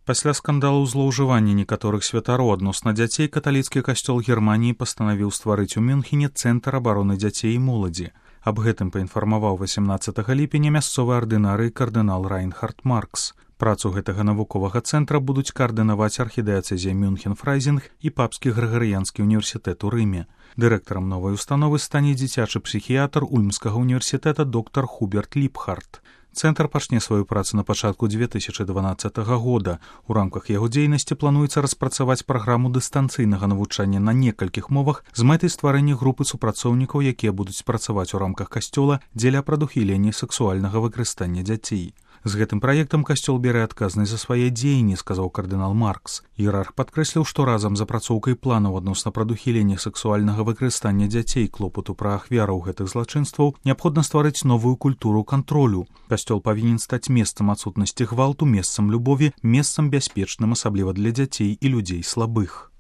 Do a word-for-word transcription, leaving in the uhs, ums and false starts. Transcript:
Пасля скандалу злоўжывання некаторых святароў адносна дзяцей каталіцкі касцёл Германіі пастанавіў стварыць у Мюнхене цэнтр абароны дзяцей і моладзі. Аб гэтым паінфармаваў васямнаццатага ліпеня мясцовы ардынарый кардынал Райнхард Маркс. Працу гэтага навуковага цэнтра будуць каардынаваць архідыяцэзія Мюнхен-Фрайзінг і папскі грыгарыянскі універсітэт у Рыме. Дырэктарам новай установы стане дзіцячы псіхіятр Ульмскага універсітэта доктар Хуберт Ліпхарт. Цэнтр пачне сваю працу на пачатку дзве тысячы дванаццатага года. У рамках яго дзейнасці плануецца распрацаваць праграму дыстанцыйнага навучання на некалькіх мовах з мэтай стварэння групы супрацоўнікаў, якія будуць працаваць у рамках касцёла дзеля прадухілення сексуальнага выкарыстання дзяцей. З гэтым праектам касцёл бярэ адказнасць за свае дзеянні, сказаў кардынал Маркс. Іерарх падкрэсліў, што разам з апрацоўкай планаў адносна прадухілення сексуальнага выкарыстання дзяцей, клопату пра ахвяраў гэтых злачынстваў, неабходна стварыць новую культуру кантролю. Касцёл павінен стаць месцам адсутнасці гвалту, месцам любові, месцам бяспечным, асабліва для дзяцей і людзей слабых.